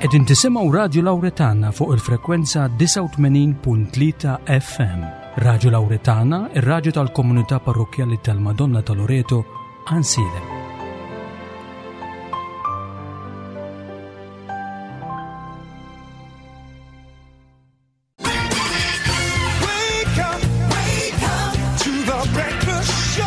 Qegħdin tisimgħu Radju Lawretana fuq il-frekwenza 89.3 FM. Radju Lawretana, ir-radju tal-komunità parrokkjali tal-Madonna ta' Loreto, Għansielem. Wake up, wake up to the breakfast show.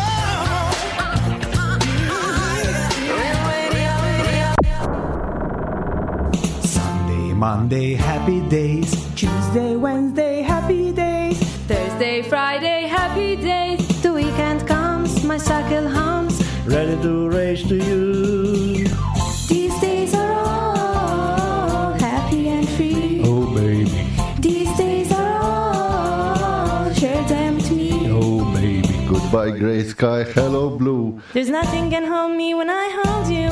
Sunday, Monday, happy days. Tuesday, Wednesday, happy days. Thursday, Friday, happy days. The weekend comes, my cycle hums. Ready to race to you. These days are all happy and free. Oh baby, These days are all share them with me. oh baby. Goodbye grey sky, hello blue. There's nothing can hold me when I hold you.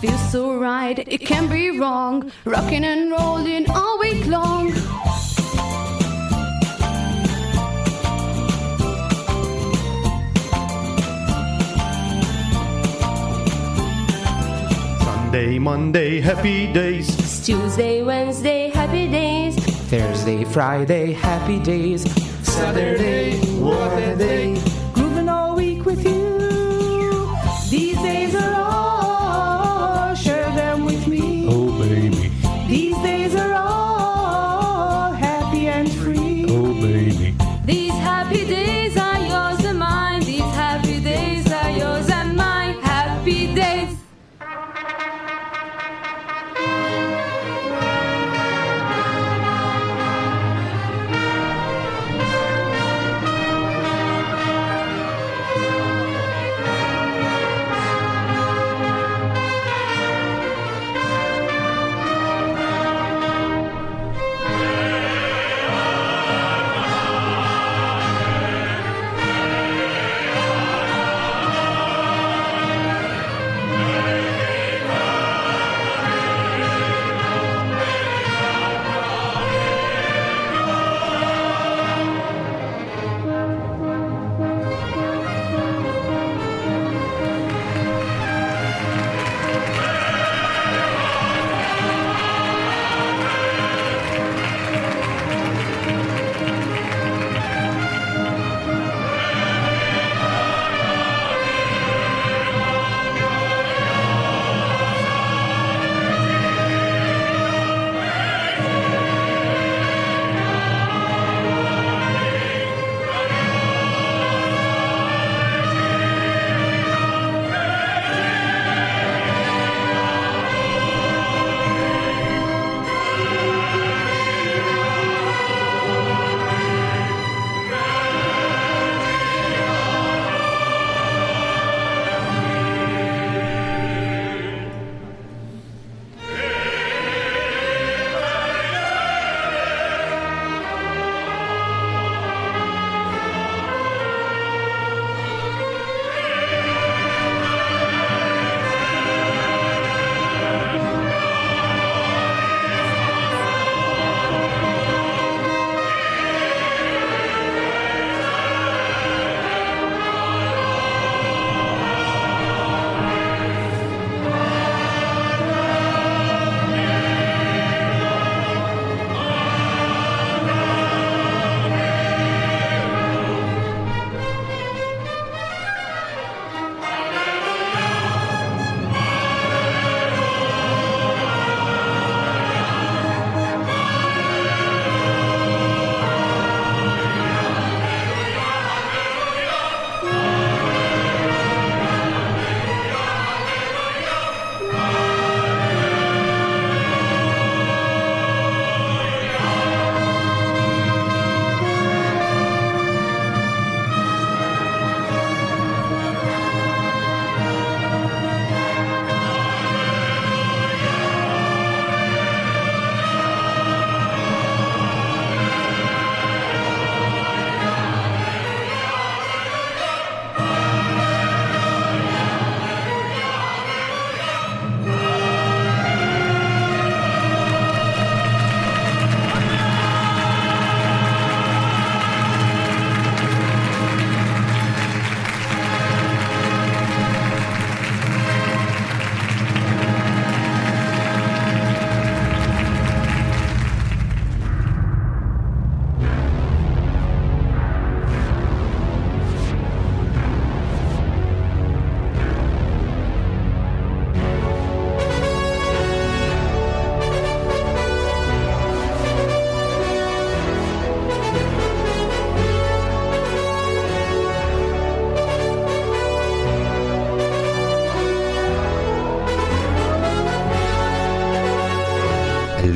Feels so right, it can't be wrong. Rocking and rolling all week long. Sunday, Monday, happy days. Tuesday, Wednesday, happy days. Thursday, Friday, happy days. Saturday, what a day. Grooving all week with you. These days are all share them with me. Oh baby, These days are all happy and free. oh baby. These happy days are yours and mine. These happy days are yours and mine. Happy days.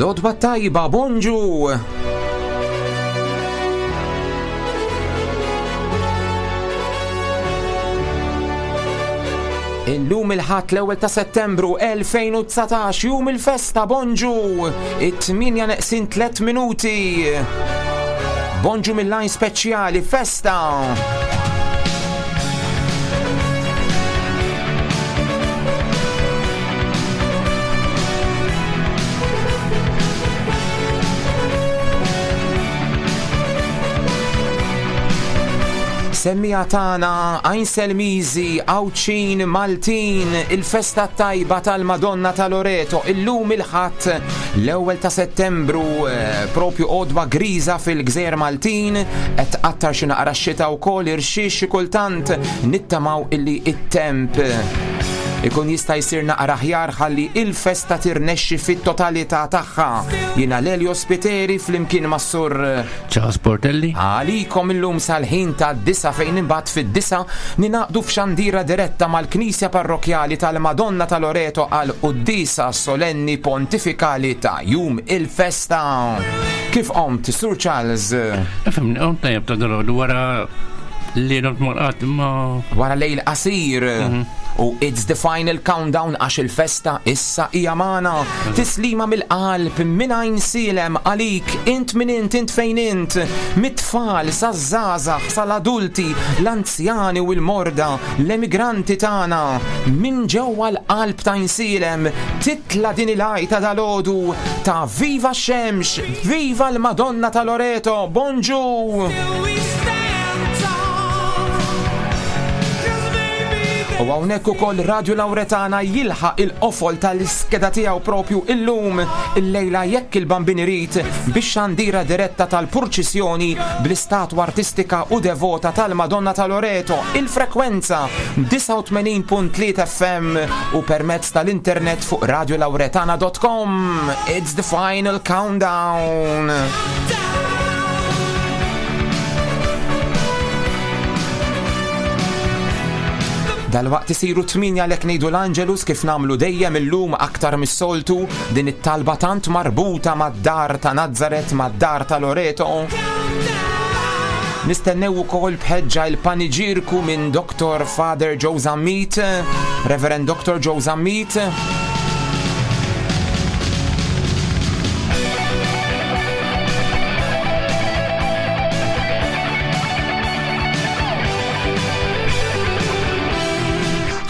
L-għodwa tajba, bonġu! Illum il-Ħadd l-ewwel ta' Settembru 2019 jum il-festa bonġu it-8 neqsin 3 minuti. Bonġu mill-lajn speċjali festa. Semmija tagħna Għajn Selmiżi, Għawdxin, Maltin, il-festa tajba tal-Madonna ta' Loreto, illum il-Ħadd l-ewwel ta' Settembru, eh, propju għodwa griża fil-Gżejjer Maltin, qed tqattar xi naqra x-xita wkoll irxix xi kultant nittamaw illi it-temp ikun jista' jsir naqra aħjar ħalli il-festa tirnexxi fit-totalità tagħha. Jiena Lelio Spiteri flimkien mas-sur Charles Portelli. Għalikom illum sal-ħin ta' disa fejn imbagħad fid-disa ninaqdu f'xandira diretta mal-Knisja Parrokjali tal-Madonna ta' Loreto għal quddiesa solenni pontifikali ta' jum il-festa. Kif qomt, Sur Charles? Fimni, qomt tajjeb ta' dalgħodu wara li domt morqat imma. Wara lejl qasir. Mhm. U it's the final countdown għax il-festa issa hija magħna. Tislima mill-qalb minn għajn silem għalik int min int int fejn int, mit-tfal saż-żgħażagħ sal-adulti, l-anzjani u l-morda, l-emigranti tagħna. Minn ġewwa l-qalb ta' Għajnsielem titla' din il-għajta dalgħodu ta' Viva x-xemx, viva l-Madonna ta' Loreto, bonġu! U hawnhekk ukoll Radio Lauretana jilħaq il-qofol tal-iskeda tiegħu propju illum illejla jekk il-Bambin irid bix xandira diretta tal-purċissjoni bl-istatwa artistika u devota tal-Madonna ta' Loreto, il-frekwenza 89.3 FM u permezz tal-internet fuq radiolauretana.com. It's the final countdown. Dalwaqt isiru 8 għalhekk ngħidu l-Angelus kif nagħmlu dejjem illum aktar mis-soltu din it-talba tant marbuta mad-dar ta' Nazzaret mad-dar ta' Loreto. Nistennew ukoll bħeġġa il-paniġirku minn Dr. Father Joe Zammit, Reverend Dr. Joe Zammit.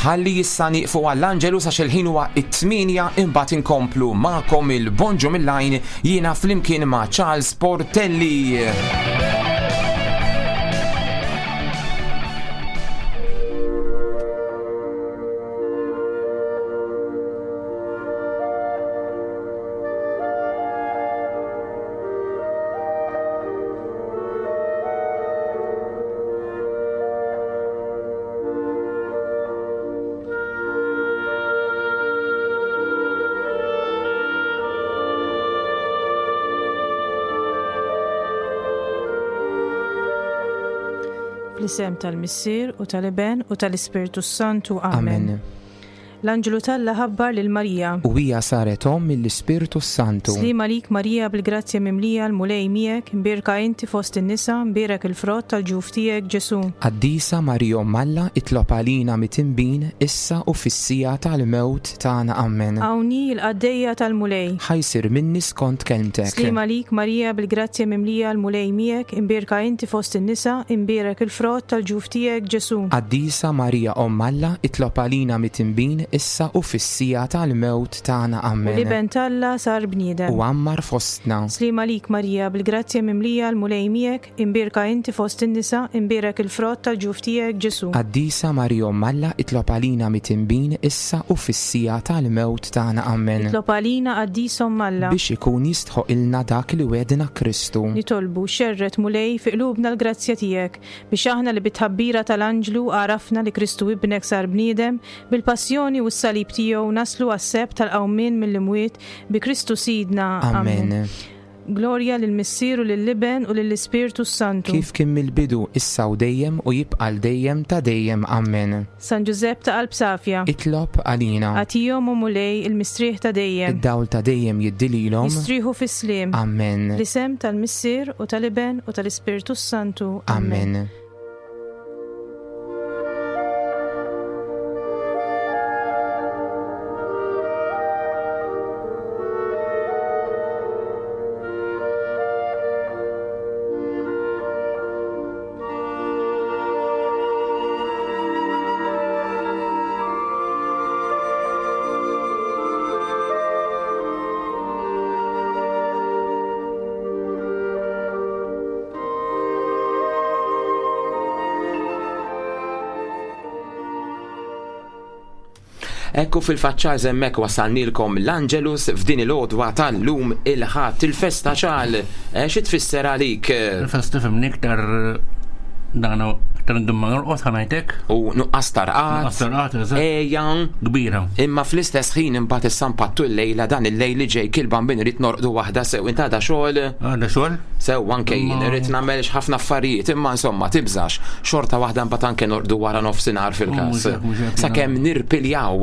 Ħalli issa nieqfu għall-Angelus għax il-ħin huwa it-8 imbagħad inkomplu magħkom il-Bonġu mill-Għajn jiena flimkien ma' Charles Portelli. Fl-isem tal-Missier u tal-Iben u tal-Ispirtu Santu. Amen. Amen. L-anġlu t'Alla ħabbar lil Marija. U hija saret omm mill-Ispirtu s-Santu. Sliem għalik Marija bil-grazzja mimlija l-Mulej miegħek, imbierka inti fost in-nisa, mbierek il-frott tal-ġuf tiegħek Ġesù. Qaddisa Marija Omm Alla itlob għalina mitinbin issa u fis-siegħa tal-mewt tagħna. Ammen. Hawn hi l-qaddejja tal-Mulej. Ħa jsir minni skont kelmtek. Sliem għalik Marija bil-grazzja mimlija l-Mulej miegħek, imbierka inti fost in-nisa, imbierek il-frott tal-ġuf tiegħek Ġesù. Qaddisa Marija Omm Alla itlob għalina mitinbin issa u fis-siegħa tal-mewt tagħna. U Ammen. l-Iben t'Alla sar bniedem. U għammar fostna. Sliem għalik Marija bil-grazzja mimlija l-Mulej miegħek, imbierka inti fost in-nisa, imbierek il-frott tal-ġuf tiegħek Ġesù. Qaddisa Marija Omm Alla itlob għalina mitinbin issa u fis-siegħa tal-mewt tagħna. Ammen. Itlob għalina Qaddisa Omm Alla. Biex ikun jistħoqilna dak li wegħdna Kristu. Nitolbu, xerred Mulej fi qlubna l-grazzja tiegħek, Biex aħna li bit-tħabbira tal-anġlu għarafna li Kristu Ibnek sar bniedem, bil-passjoni u s-salib tiegħu naslu għas-sebħ tal-qawmien mill-imwiet bi Kristu Sidna. Amen. Glorja lill-Missier u lill-Iben u lill-Ispirtu s-Santu. Kif kien mill-bidu, issa u dejjem, u jibqa' għal dejjem ta' dejjem. Ammen. San Ġużepp ta' qalb safja. Itlob għalina. Agħtihom, o Mulej, il-mistrieħ ta' dejjem. Id-dawl ta' dejjem jiddi lilhom. Jistrieħu fis-sliem. Ammen. Fl-isem tal-Missier u tal-Iben u tal-Ispirtu s-Santu. Ammen. Ekku fil-faċċar hemmhekk wasalnilkom l-Angelus f'din il-għodwa tal-lum il-Ħadd il-festa ċal. Eh, xi tfisser għalik? Il-festa fimni iktar dan iktar ndum ma norqod ħanajtek. U nuqqas tarqat. Nuqqas tarqat, eżatt. Ejja. Kbira. Imma fl-istess ħin imbagħad issa mpattu l-lejla dan il-lejl li ġej kil bambin irid norqdu waħda sew int għadha xogħol. Għadha xogħol? Sew anke jien irrid nagħmel ħafna affarijiet imma insomma tibżax xorta waħda mbagħad anke norqdu wara nofsinhar fil-każ. Sakemm nirpiljaw.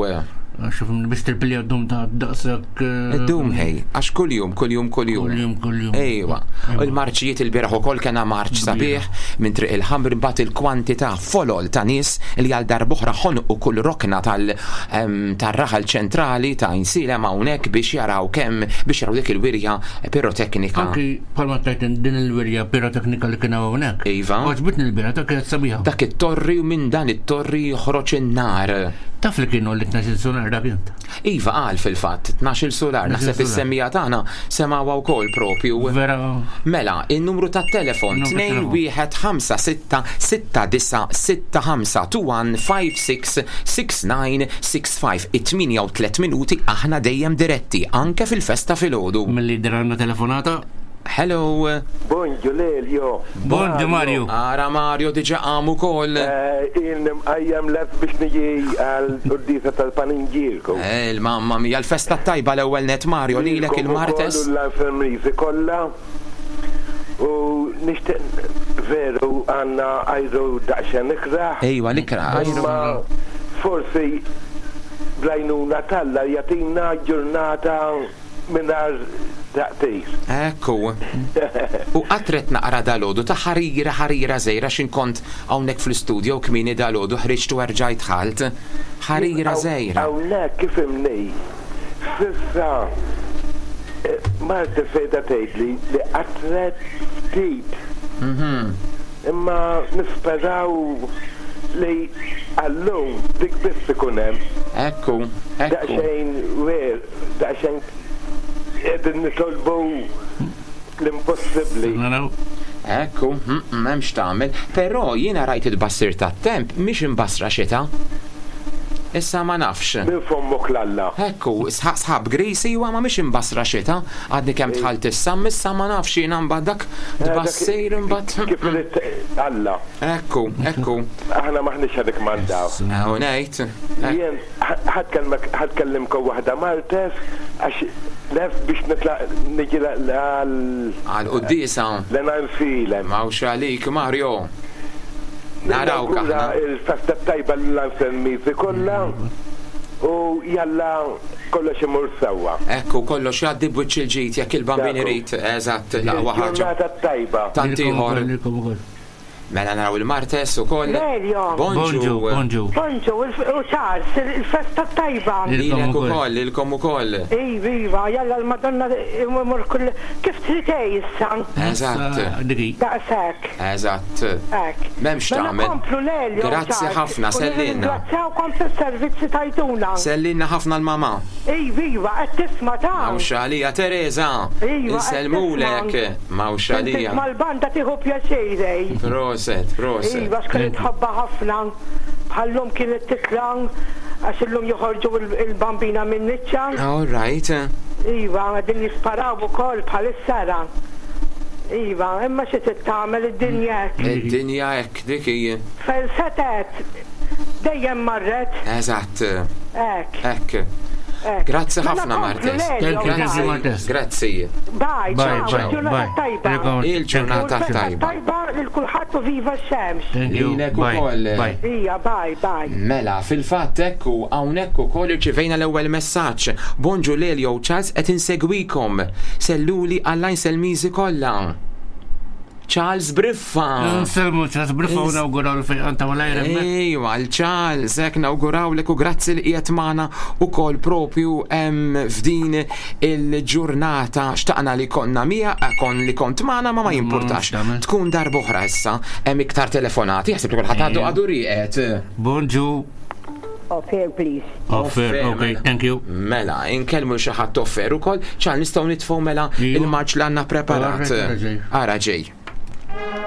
Għax biex tirpilja d-dum ta' daqshekk. Eh, Id-dum ħej, għax kuljum, kuljum, kuljum. Kuljum, kuljum. Ejwa. U l-marċijiet il-bieraħ ukoll kena marċ sabiħ minn triq il-ħamr imbagħad il-kwantità folol ta' nies li għal darb'oħra ħonqu kull rokna tal-raħal ċentrali ta' Għajnsielem hawnhekk biex jaraw kemm biex jaraw dik il-wirja piroteknika. Anki bħalma tajt din il-wirja piroteknika li kien hawnhekk. Iva. Għoġbitni l-bira ta' kienet sabiħa. Dak it-torri u minn dan it-torri joħroġ in-nar. Taf li kienu li 12 sular dak int. Iva qal fil-fatt, 12 sular, naħseb is-semmija tagħna semgħuha wkoll propju. Vera. Mela, in-numru tat-telefon 2156 6965 2156 6965 it-8 u 3 minuti aħna dejjem diretti anke fil-festa filgħodu. Milli jidher għandna telefonata. Hello. Bonġu Lelio. Bonġu Mario. Ara Mario diġa qam ukoll. Eh, Ilni mqajjem lest biex niġi għal quddiesa tal-Paninġierku. Eh, il-mamma mia, l-festa tajba l-ewwel net Mario lilek il-Martes. L-infermieri kollha u nixtieq veru għandna ajru daqsxejn ikrah. Ejwa l-ikrah ajru. Imma forsi bl-għajnuna t'Alla jagħtina ġurnata mingħajr taqtir. Ekku. U qatret naqra dalgħodu ta' ħarira ħarira żgħira x'in kont hawnhekk fl-istudio kmieni dalgħodu ħriġt u erġajt dħalt. Ħarira żgħira. Hawnhekk ifhimni, s'issa marti sejda tgħidli li qatret ftit. Imma nisperaw li għal-lum dik biss ikun hemm. Ekku, ekku. Daqsxejn rare, daqsxejn qegħdin nitolbu l-impossibbli. Naraw. Ekku, m'hemmx tagħmel. Però jiena rajt it-tbassir tat-temp mhix imbassra xita. Issa ma nafx. Minn fommok 'l Alla. Ekku, sħab gris iwa ma mhix imbassra xita. Għadni kemm dħalt issa, issa ma nafx jiena mbagħad dak tbassir imbagħad. Kif irid Alla. Ekku, ekku. Aħna m'aħniex ħa nikkmandaw. U ngħid. Jien ħa tkellimkom waħda Maltes għax lest biex nitlaq niġi għal. Għal quddiesa. L-Għajnsielem. M'hawnx għalik Mario. Narawk aħna. Il-festa tajba l-Anselmizi kollha u jalla kollox imur sewwa. Ekku, kollox jgħaddi b'wiċċ il-ġid jekk il-Bambin irid. Eżatt, l-aqwa ħaġa. Il-ġurnata tajba. Tant ieħor. Mela naraw il-Martes ukoll. Lelio. Bonġu. Bonġu. Bonġu, u Charles, il-festa tajba. Lilek ukoll, lilkom ukoll. Iva, iva, jalla l-Madonna imur kull kif trid issa. Eżatt. Daqshekk. Eżatt. Hekk. M'hemmx Mela tagħmel. komplu Lelio. Grazzi Charles. ħafna, U sellinna. Nirringrazzjawkom fis-servizzi tajtuna. Sellinna ħafna l-mama. Iva, iva, qed tisma' ta' Mawx għalija Teresa. Iva, qed Insellmulek. tisma'. Mawx għalija. Tisma' l-banda tieħu pjaċir ej. Proset, proset. Iva, x'kienet tħobbha ħafna. Bħal-lum kienet titla' għax illum joħorġu il-bambina minn niċċa. All right. Iva, qegħdin jisparaw ukoll bħalissa ra. Iva, imma xi trid tagħmel id-dinja hekk. Id-dinja hekk dik hi. Fejn setgħet dejjem marret. Eżatt. Hekk. Hekk. Grazzi Mela ħafna komplu, Martes. Lelio, Thank you, thank you, bye. Martes. Grazzi. Bye, Bye, ciao, bye, il-ġurnata bye. tajba. Il-ġurnata U l-festa tajba. Tajba lil kulħadd u viva x-xemx. Thank you. Lilek Bye. ukoll. Bye. Ija, bye, bye. Mela, fil-fatt ekku hawnhekk ukoll irċivejna l-ewwel messaġġ. Bonġu Lelio u Charles qed insegwikom. Selluli għall Selmiżi kollha. Charles Briffa. Nselmu Charles Briffa u nawguraw l-fejqan ta' malajr hemmhekk. Ejwa, l-Charles, hekk nawgurawlek u grazzi li qiegħed magħna ukoll propju hemm f'din il-ġurnata xtaqna li konna mija, kon li kont magħna ma ma jimpurtax. tagħmel. Tkun darb'oħra issa, hemm iktar telefonati, jaħseb li kulħadd għadu għadu rieqed. Bonġu. Off air, please. Offer, Offer, okay, mela. thank you. Mela, inkellmu xi ħadd offer ukoll, ċan nistgħu nitfgħu mela Iva. il-marċ li għandna preparat. Ara ġej. Ara ġej. Thank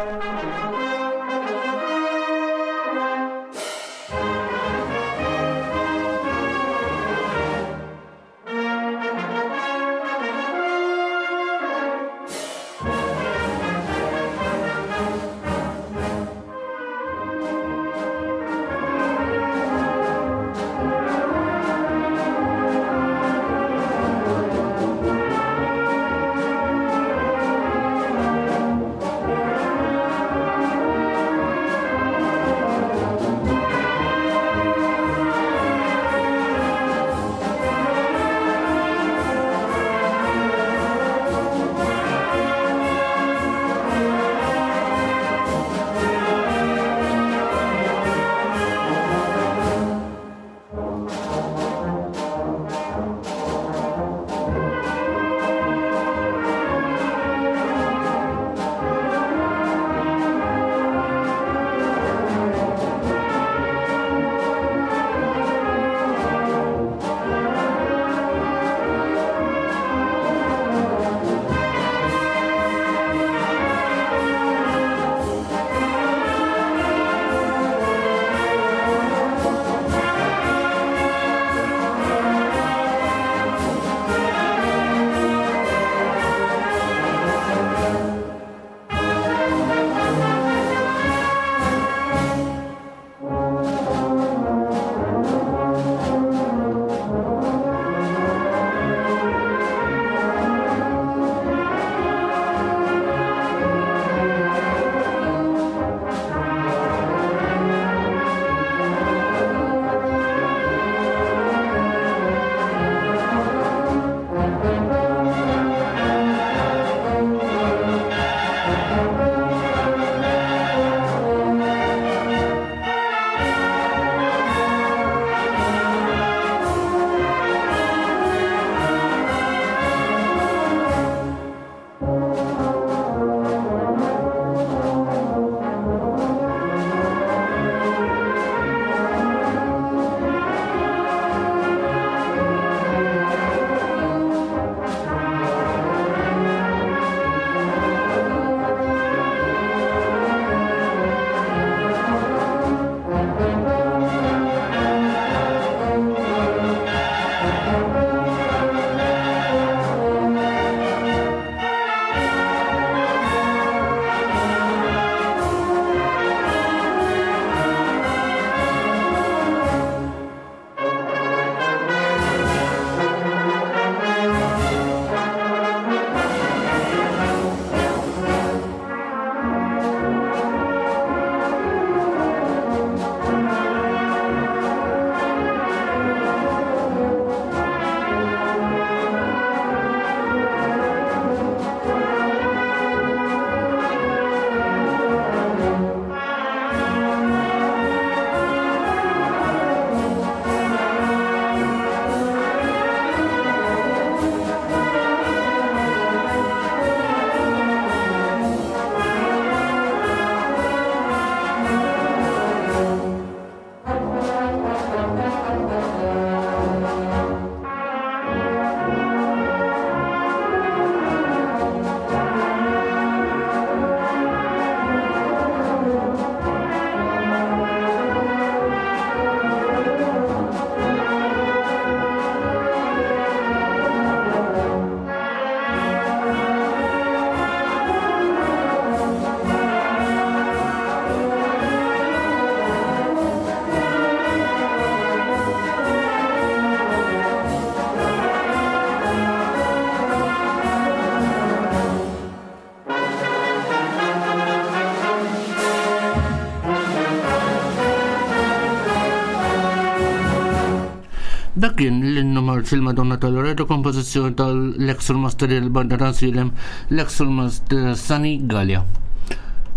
Dak kien l-innu marċ il-Madonna ta' Loreto, kompożizzjoni tal-ex Master il-Banda ta' Silem, l-ex Master Sani Gallia.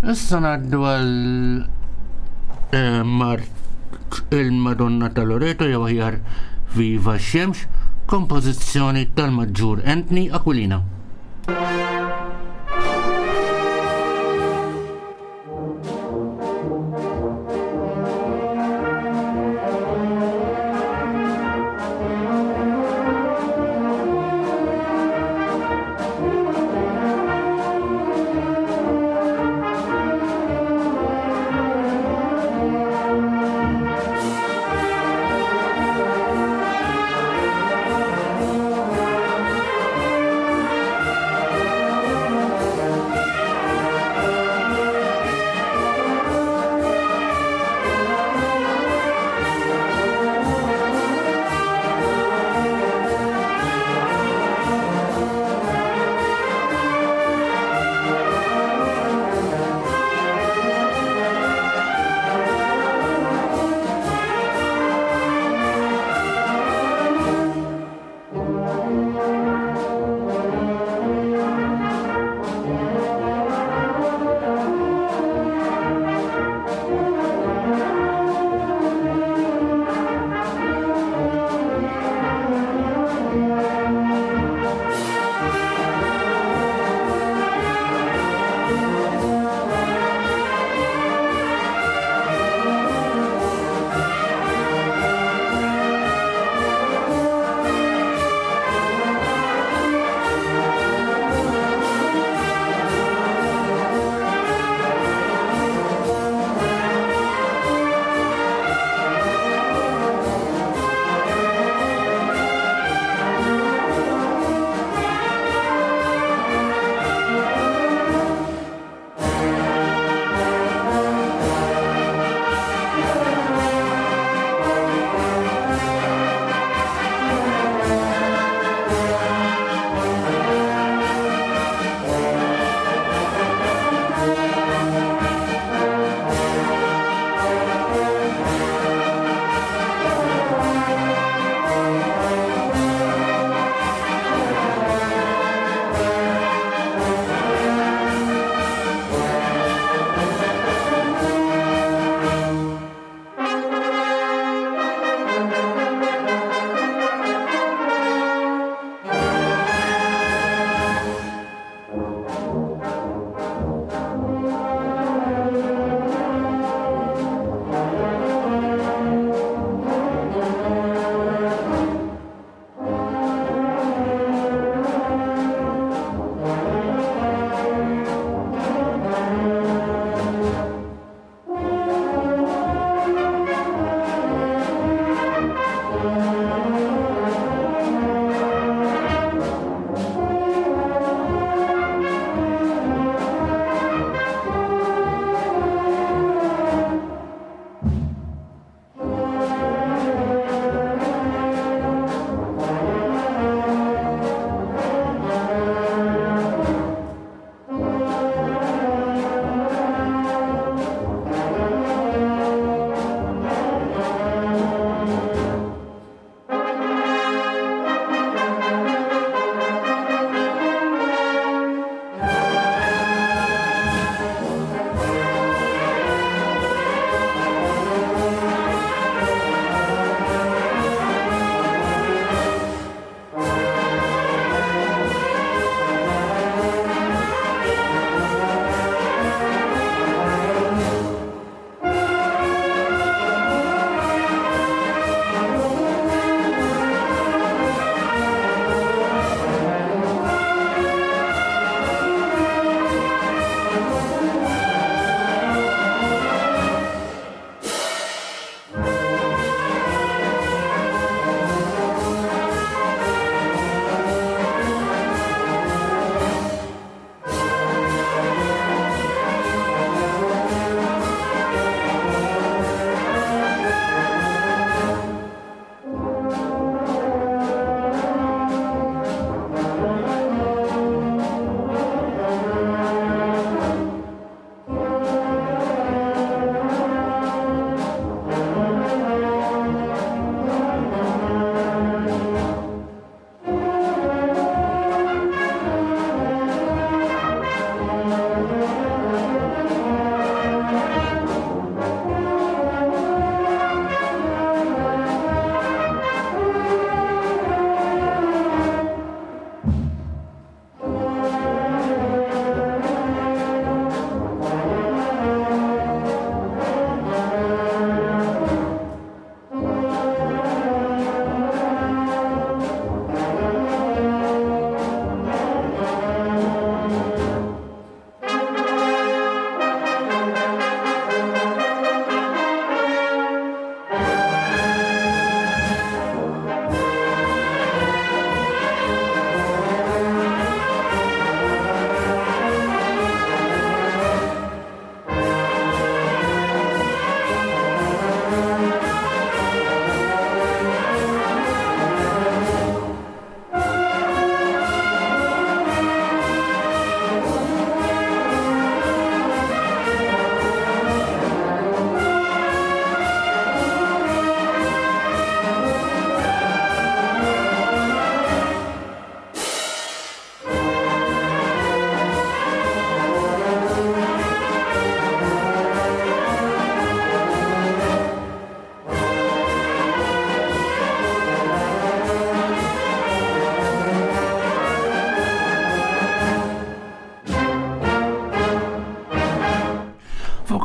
Issa ngħaddu għal eh, marċ il-Madonna ta' Loreto jew aħjar Viva x-Xemx, kompożizzjoni tal-Maġġur Anthony Aquilina.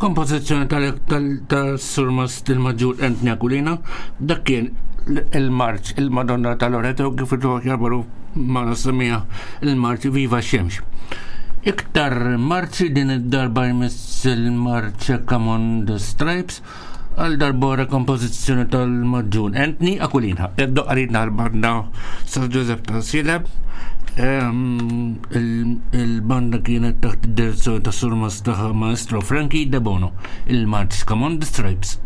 Kompożizzjoni tal-Surmast il-Maġġur Anthony Aquilina, dak kien il-marċ il-Madonna ta' Loreto kif il-ġo ma semija il-marċ Viva Xemx. Iktar marċi din id-darba jmiss il-marċ Come on the Stripes għal darbora kompożizzjoni tal-Maġġun Anthony Aquilina. Id-doqqaritna l-banda San Joseph ta' Sileb. Il-banda kienet taħt id-direzzjoni ta' Surmas ta' Maestro Frankie De Bono, il-March Come on the Stripes.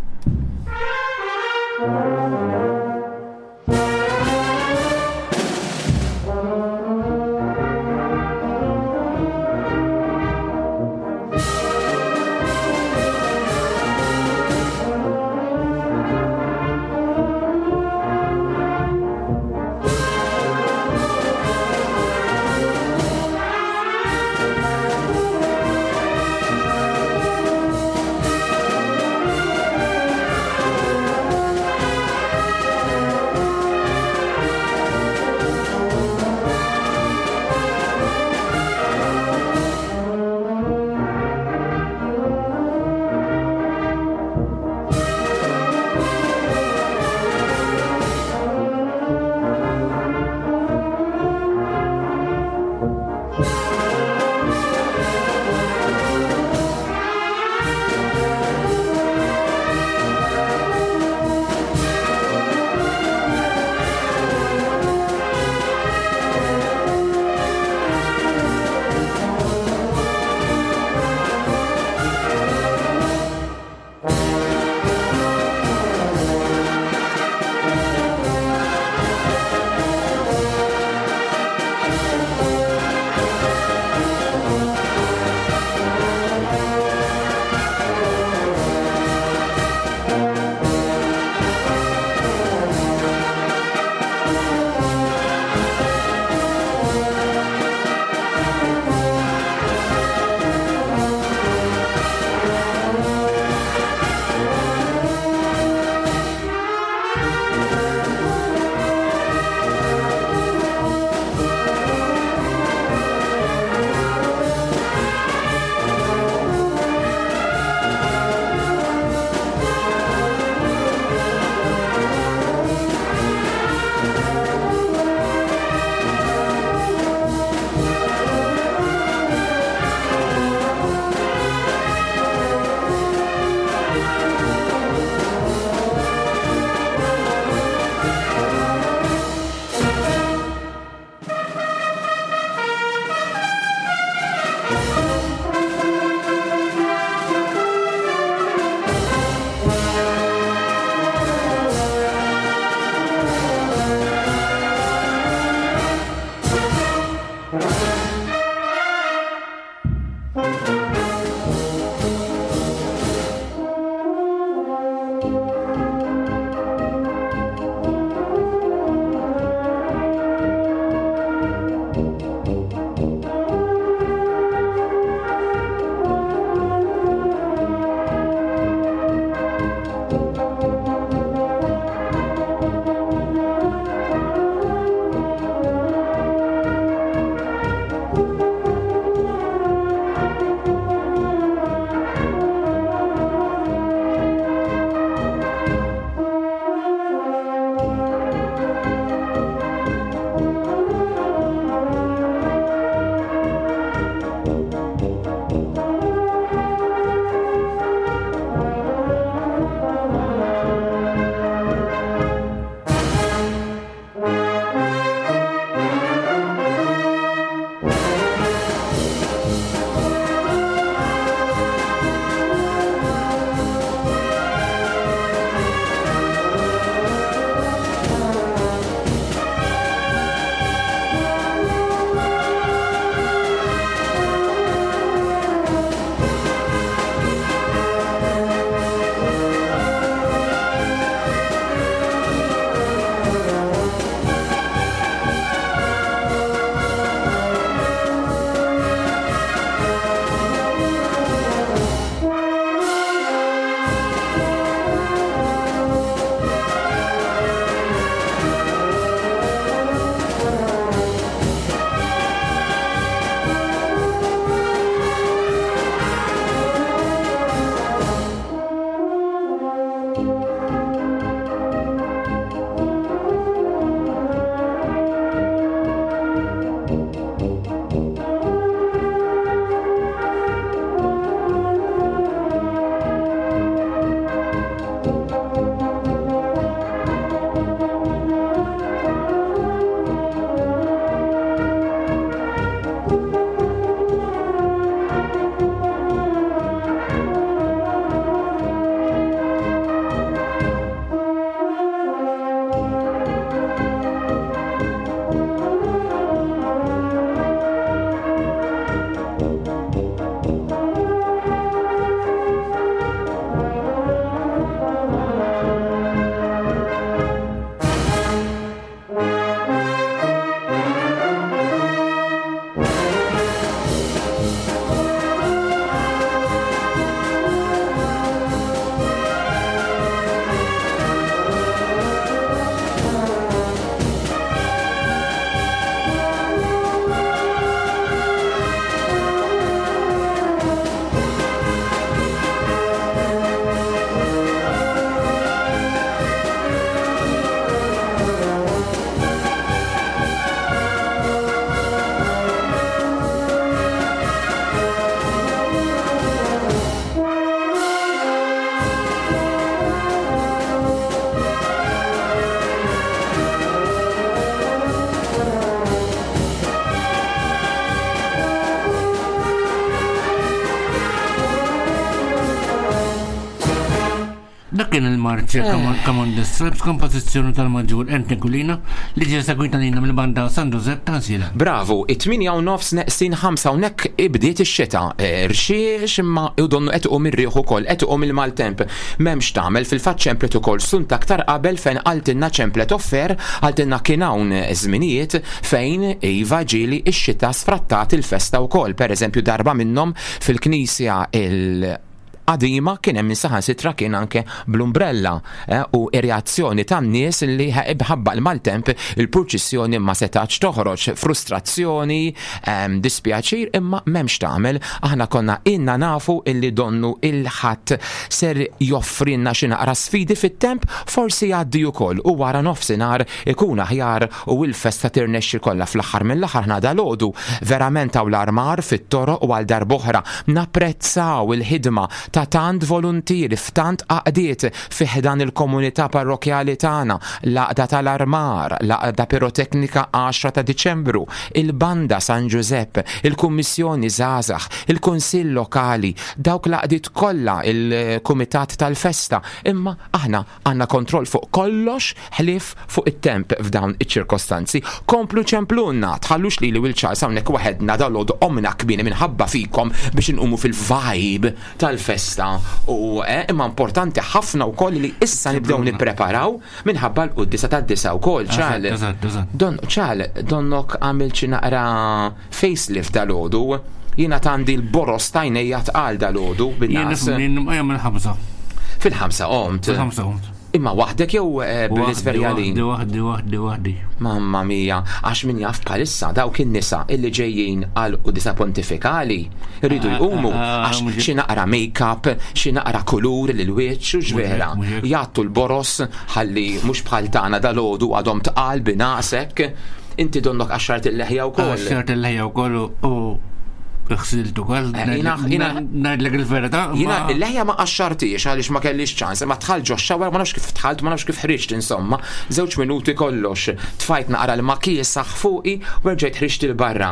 il-marċ Come on the Stripes, kompożizzjoni tal-Maġġur Anthony Kulina li ġie segwita lilna mill-banda San Giuseppe ta' Sila. Bravu, it-8 u nofs neqsin 5 hawnhekk ibdiet ix-xita. Rxiex imma u donnu qed iqum ir-riħ ukoll, qed iqum il-maltemp. M'hemmx tagħmel, fil-fatt ċemplet ukoll sunt aktar qabel fejn qaltilna ċemplet offer, qaltilna kien hawn żminijiet fejn iva ġieli x-xita sfrattat il-festa wkoll. Pereżempju darba minnhom fil-knisja il qadima kien hemm min saħansitra kien anke bl-umbrella eh, u ir-reazzjoni tan-nies li bħabba l-maltemp il-purċissjoni ma setax toħroġ, frustrazzjoni, ehm, dispjaċir imma m'hemmx tagħmel. Aħna konna inna nafu illi donnu il-ħadd ser joffrinna xi naqra sfidi fit-temp, forsi jgħaddi wkoll u wara nofsinhar ikun aħjar u l-festa tirnexxi kollha fl-aħħar mill-aħħar ħna dalgħodu verament hawn l-armar fit-toroq u għal darb'oħra napprezzaw il-ħidma ta' tant voluntieri f'tant għaqdiet fi ħdan il-komunità parrokkjali tagħna, l-Għaqda tal-Armar, l-Għaqda Piroteknika 10 ta' Diċembru, il-Banda San Ġużepp, il-Kummissjoni Żgħażagħ, il-Kunsill Lokali, dawk l-għaqdiet kollha, il-Kumitat tal-Festa, imma aħna Għandna kontroll fuq kollox ħlief fuq it-temp f'dawn iċ-ċirkostanzi. Komplu ċemplulna, tħallux lili u 'l Charles hawnhekk waħedna dalgħodu qomna kmieni minħabba fikom biex inqumu fil-vibe tal-festa u eh, imma importanti ħafna wkoll li issa nibdew nippreparaw minħabba l-quddiesa tad-disgħa wkoll, Charles. Don, Charles, donnok għamilt xi naqra Facelift dalgħodu. Jiena għandi l-boros t'għajnejja tqal dalgħodu bin-nagħas. Jien nifhimni mill-ħamsa. Fil-ħamsa qomt. Fil-ħamsa qomt. Imma waħdek jew eh, bl-isverjalin? Waħdi, waħdi, waħdi. Mamma mia, għax min jaf bħalissa dawk in-nisa illi ġejjin għal qudisa pontifikali rridu ah, jqumu ah, ah, għax xi naqra make-up, xi naqra kulur lil wiċċ u x'vera. Jgħattu l-boros ħalli mhux bħal tagħna dalgħodu għadhom tqal binaqsek. Inti donnok qaxxart il-leħja wkoll. Qaxxart il-leħja wkoll u ħsilt ukoll. Eh, ngħidlek il-verità. Jiena il-leħja ma qaxxartiex għaliex ma kellix ċans, ma tħalt ġo xawer ma nafx kif tħalt, ma nafx kif ħriġt insomma. Żewġ minuti kollox. Tfajt naqra l-makiesaħ fuqi u rġajt ħriġt il-barra.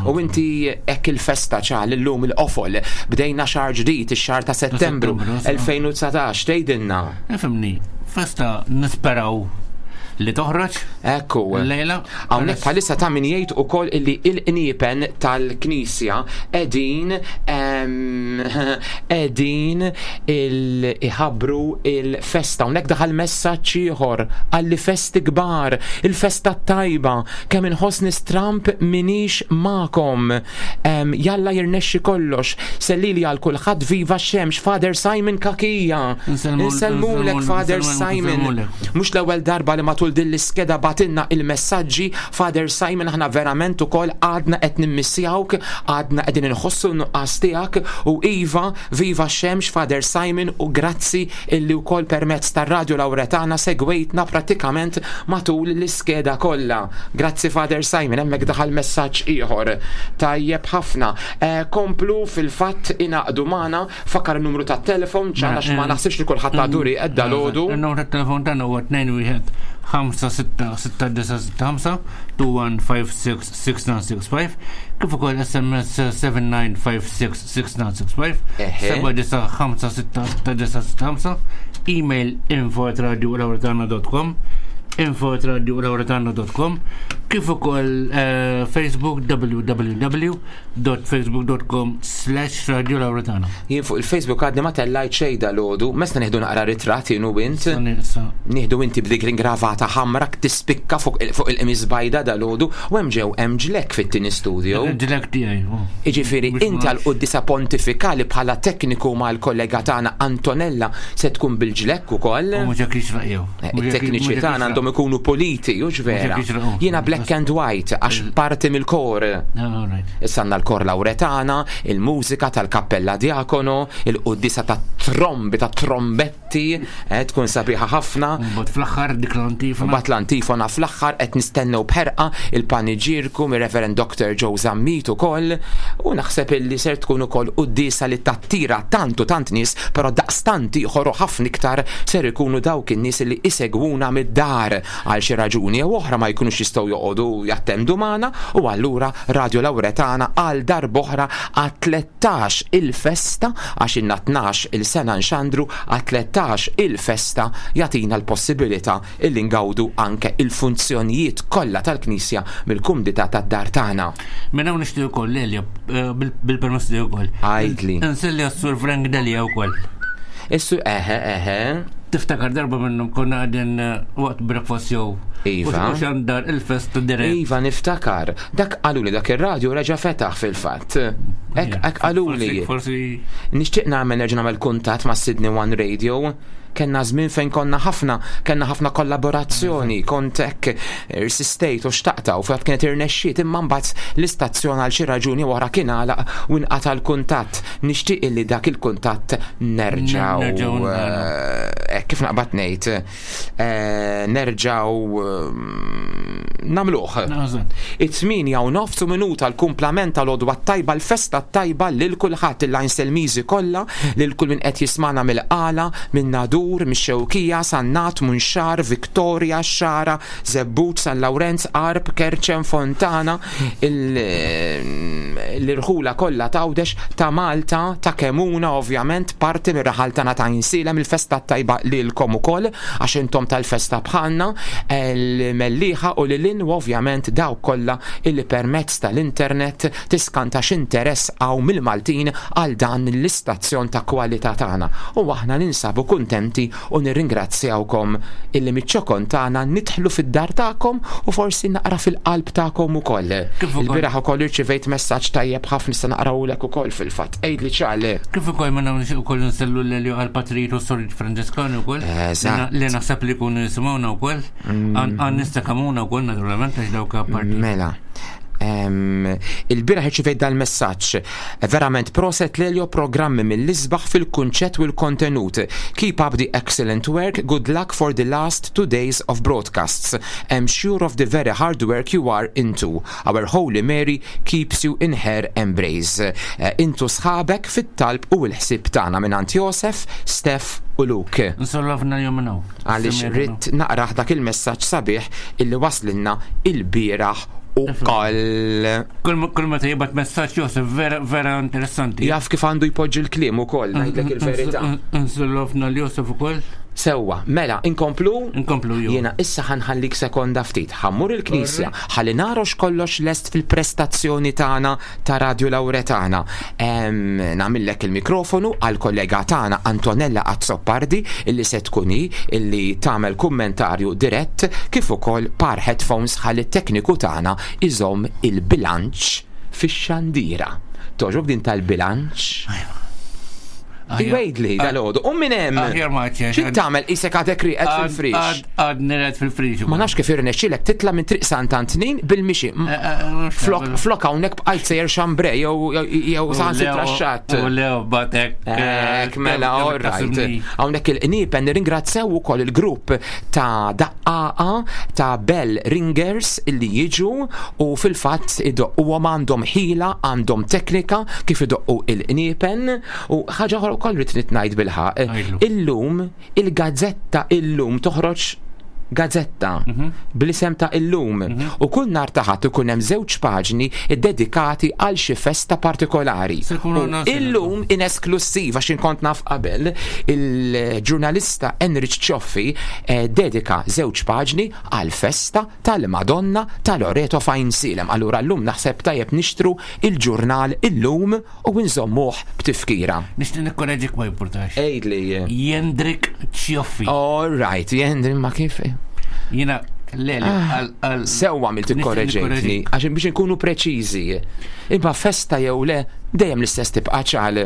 U inti hekk il-festa ċal illum il-qofol bdejna xahar ġdid ix-xahar ta' Settembru 2019 tgħidilna. Ifhimni, festa nisperaw li toħroġ. Ekku. Lejla. Hawnhekk bħalissa ta' min jgħid ukoll illi il-qniepen tal-Knisja qegħdin qegħdin iħabbru il-festa. Hawnhekk daħal messaġġ ieħor għalli festi kbar, il-festa tajba, kemm inħossni stramp minix magħkom. Jalla jirnexxi kollox. Sellili għal kulħadd viva x-xemx Father Simon Kakija. Insellmulek Father Simon. Mhux l-ewwel darba li matul din l-iskeda batilna il-messaġġi Father Simon aħna verament ukoll għadna qed nimmissjawk, għadna qegħdin inħossu n-nuqqas tiegħek u iva viva x-xemx Father Simon u grazzi illi wkoll permezz tar-Radju Lawretana segwejtna prattikament matul l-iskeda kollha. Grazzi Father Simon, hemmhekk daħal messaġġ ieħor. Tajjeb ħafna. Eh, komplu fil-fatt ingħaqdu magħna, fakkar in-numru tat-telefon ċan għax ma naħsibx li kulħadd għadu rieqed dalgħodu. Il-numru tat-telefon tagħna huwa 21 566965 21566965 kif ukoll SMS 7956 6965 7956 email info at radiolauretana.com info at radiolauretana.com kif ukoll eh, Facebook www.facebook.com slash radiolauretana. Jien fuq il-Facebook għadni ma tellajt xejn dal-għodu, mesna nieħdu naqra ritratt jien u int. Nieħdu inti b'dik l-ingravata ħamra tispikka fuq il-qmis bajda dal-għodu u hemm ġew hemm ġlek fit-tieni studio. Ġlek tiegħi. Oh. Jiġifieri inti għal quddiesa pontifikali bħala tekniku mal-kollega tagħna Antonella se tkun bil-ġlekk ukoll. U mhux hekk jixraq jew. Eh, it-tekniċi tagħna għandhom ikunu puliti, hux vera. Jiena black and white għax parti mill-kor. Ah, Issa għandna l-kor Lawretana, il-mużika tal-Kappella Diakono, il-quddiesa ta' trombi ta' trombetti Ti, eh, tkun sabiħa ħafna. Mbagħad fl-aħħar dik l-antifona. Mbagħad l-antifona fl-aħħar qed nistennew b'ħerqa il-paniġirku mir-Reverend Dr. Joe Zammit ukoll u naħseb illi ser tkun ukoll quddiesa li tattira tant u tant nies, però daqstant ieħor u ħafna iktar ser ikunu dawk in-nies li isegwuna mid-dar. id-dar għal xi raġuni jew oħra ma jkunux jistgħu joqogħdu jattendu magħna u allura Radio Lauretana għal darb'oħra għat-13 il-festa għax ilna 12 il-sena nxandru għat-13 il-festa jagħtina l-possibilità illi ngawdu anke il-funzjonijiet kollha tal-Knisja mill-kumdità tad-dar tagħna. Minn hawn nixtieq ukoll Lelja eh, bil-permess tiegħek ukoll. Għidli. Inselli għas-Sur Frank Delia wkoll. Issu eħe eħe. Tiftakar darba minnhom konna qegħdin eh, waqt breakfast jew. Iva. U xandar il-fest dirett. Iva niftakar. Dak qaluli dak ir-radju reġa' fetaħ fil-fatt. Ek ek qaluli. Forsi. Nixtieq nagħmel nerġa' nagħmel kuntatt ma' Sydney One Radio. Kenna żmien fejn konna ħafna, kenna ħafna kollaborazzjoni, kont hekk irsistejt u xtaqta u fatt kienet irnexxiet imma mbagħad l-istazzjon għal xi raġuni oħra kien għalaq u nqata' l-kuntatt. Nixtieq illi dak il-kuntatt nerġgħu eh, kif naqbad ngħid eh, nerġgħu eh, nagħmluh. It-8 u nofs u minuta l-kumplament tal-għodwa tajba l-festa tajba lil kulħadd il-Għajnselmiżi kollha, lil kull min qed jismana mill-Qala, minn Nadur, mix-Xewkija, Sannat, Munxar, Victoria, Xagħra, Żebbuġ, San Lawrenz, Għarb, Kerċem, Fontana, l-irħula kollha t'Għawdex, ta' Malta, ta' Kemuna ovvjament, parti mir-raħal tagħna ta' Għajnsielem, il-festa t-tajba lilkom ukoll għax intom tal-festa bħalna, l-Mellieħa u lil hinn u ovvjament dawk kollha illi permezz tal-internet tiskanta x'interess hawn mill-Maltin għal dan l-istazzjon ta' kwalità tagħna u aħna ninsabu kuntenti u nirringrazzjawkom illi miċ-ċokon tagħna nidħlu fid-dar tagħkom u forsi naqra fil-qalb tagħkom ukoll. Il-bieraħ ukoll irċivejt messaġġ tajjeb ħafna nista' naqrawlek ukoll fil-fatt. Għidli ċale. Kif ukoll minn hawn ukoll nsellu l għal patrijiet u s-sorit Franġiskani wkoll. Li naħseb li jkunu jisimgħuna wkoll. Għan nista' kamuna wkoll naturalment għax dawk apparti. Mela. Il-bieraħ irċivejt dal-messaġġ. Verament proset Lelio programmi mill-isbaħ fil-kunċett u l-kontenut. Keep up the excellent work, good luck for the last 2 days of broadcasts. Am sure of the very hard work you are into. Our Holy Mary keeps you in her embrace. Eh, intu sħabek fit-talb u l-ħsieb tagħna mingħand Josef, Steph u Luke. Nsollovna jum minn hawn. Għaliex ridt naqrah dak il-messaġġ sabiħ illi waslinna il-bieraħ ukoll. Kull meta jibgħat messaġġ Josef vera vera interessanti. Jaf kif għandu jpoġġi l-kliem ukoll, ngħidlek il-verità. Nsullofna l-Josef ukoll. Sewwa, mela, inkomplu? Inkomplu ju. Jiena issa ħanħallik sekonda ftit, ħammur il-knisja, ħalli narox kollox lest fil-prestazzjoni tagħna ta' Radio Lauretana. Nagħmillek il-mikrofonu għal kollega tagħna Antonella Azzopardi illi se tkun hi illi tagħmel kummentarju dirett kif ukoll par headphones ħalli t-tekniku tagħna iżomm il-bilanċ fix-xandira. Togħġbok din tal-bilanċ? Iwejdli dal-għodu. U minn hemm. Aħjar ma ċex. Xi tagħmel isek għadek rieqed fil-frix? Għad nired fil-frix. Ma nafx kif irnexxilek titla' minn Triq Sant'Antnin bil-mixi. Eh, eh, Flok flok hawnhekk bqajt sejjer xambre jew jew saħansitra x-xatt. U lew batek. eh, Ek, mela, all right. Hawnhekk il-qniepen nirringrazzjaw ukoll il-grupp ta' daqqaqa ta' Bell Ringers illi jiġu u fil-fatt idoqquhom għandhom ħila, għandhom teknika kif idoqqu il-qniepen U ħaġa oħra wkoll rrid ngħid bilħaq. Illum il-gazzetta illum toħroġ gazzetta bl-isem ta' illum u kull nhar ta' Ħadd ikun hemm żewġ paġni ddedikati għal xi festa partikolari. U illum in esklussiva għax inkont naf qabel il-ġurnalista Enrich Cioffi eh, dedika żewġ paġni għal festa tal-Madonna ta' Loreto f'Għajnsielem. Allura llum naħseb tajjeb nixtru il-ġurnal illum u nżommuh b'tifkira. Nixtieq nikkoreġik ma jimpurtax. Għidli. Jendrik Cioffi. All right, Jendrik ma kif. Jiena le ah, għal. Sewwa għamilt ikkoreġejtni, għax biex inkunu preċiżi. Imma festa jew le, dejjem l-istess tibqa' ċal.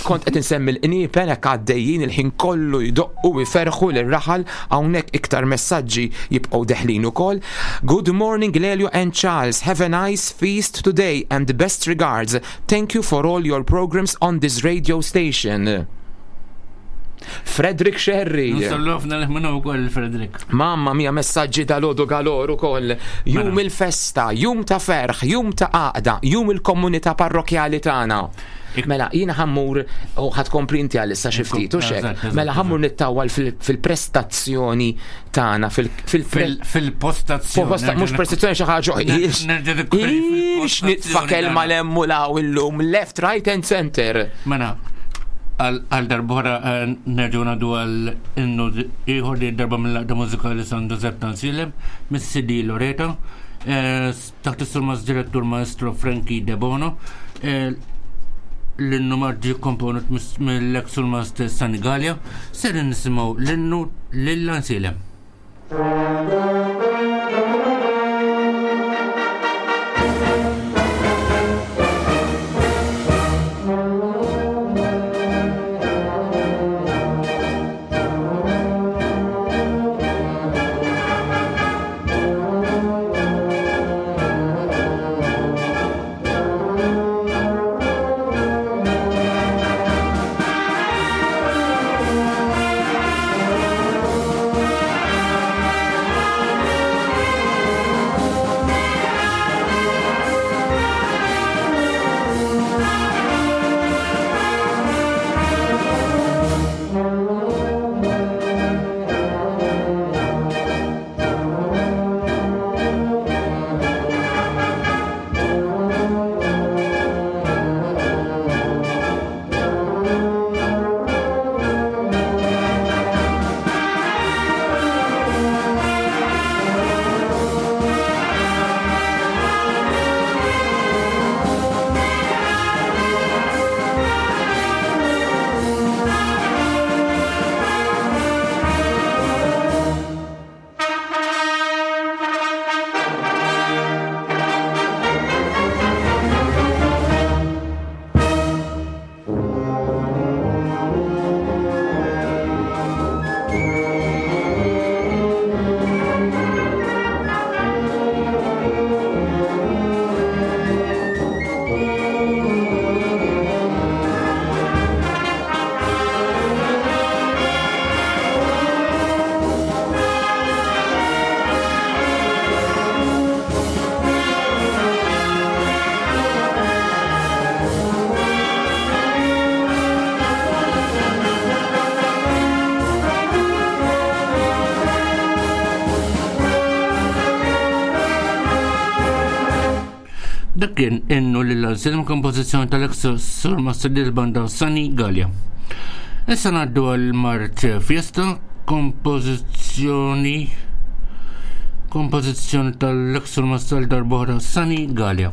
Kont qed insemmi l-qniepen hekk għaddejjin il-ħin kollu jdoqqu jferħu lir-raħal hawnhekk iktar messaġġi jibqgħu deħlin ukoll. Good morning Lelio and Charles, have a nice feast today and best regards. Thank you for all your programs on this radio station. Frederick Sherry. Nsellufna li minnu wkoll Frederick. Mamma mia messaġġi dal-għodu galor ukoll. Jum mela. il-festa, jum ta' ferħ, jum ta' għaqda, jum il-komunità parrokjali tagħna. Mela, jiena ħammur u ħad kompli inti għalissa xi ftit u xek. Mela ħammur nittawal fil-prestazzjoni tagħna fil-postazzjoni. Mhux prestazzjoni xi ħaġa. Ix nitfa' kelma lemmu law illum left, right and center. Mela, għal darbora eh, nerġgħu ngħaddu għal innu ieħor li darba mill-laqda mużikali San Giuseppe Tansilem mis-CD Loreta eh, taħt is-surmas direttur maestro Frankie De Bono eh, l-innu marġi komponut mill-ex surmas Sani Gallia ser nisimgħu l-innu lil Ansilem. Dak kien innu lil Anselm kompożizzjoni tal-ex Sur Master banda Sani Gallia. Issa ngħaddu għal Mart Fiesta, kompożizzjoni kompożizzjoni tal-ex Sur Master darbohra Sani Gallia.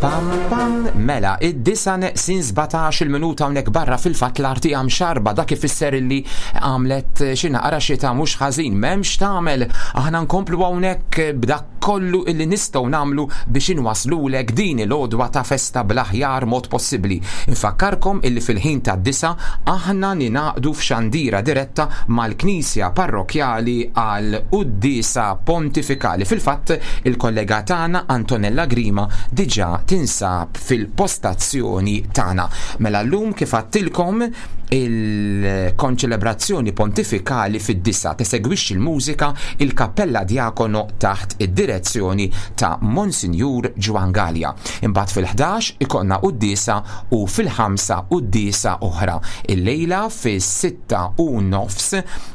Pam pam, mela, id-disa neqsin 17 il-minuta hawnhekk barra fil-fatt l-arti għam xarba dak ifisser illi għamlet xi naqra xita mhux ħażin, m'hemmx tagħmel. Aħna nkomplu hawnhekk b'dak kollu illi nistgħu nagħmlu biex inwaslulek din il-għodwa ta' festa bl-aħjar mod possibbli. Infakkarkom illi fil-ħin tad-disa aħna ningħaqdu f'xandira diretta mal-Knisja Parrokkjali għal quddiesa pontifikali. Fil-fatt, il-kollega tagħna Antonella Grima diġà tinsab fil-postazzjoni tagħna. Mela llum kif għadtilkom il-konċelebrazzjoni pontifikali fid-disa tesegwixxi l-mużika il-Kappella Diakono taħt id-direzzjoni ta' Monsinjur Ġwann Galea. Imbagħad fil-11 ikollna quddiesa u fil-ħamsa quddiesa oħra. Illejla fis-6 u nofs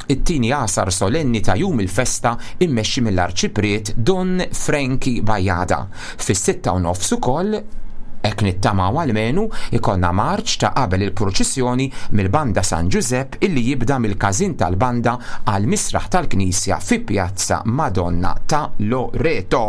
it-tieni għasar solenni ta' jum il-festa immexxi mill-Arċipriet Dun Frankie Bajada. Fis-6:30 ukoll hekk nittamaw almenu ikollna marċ ta' qabel il-purċissjoni mill-Banda San Ġużepp illi jibda mill-każin tal-banda għal misraħ tal-Knisja fi Pjazza Madonna ta' Loreto.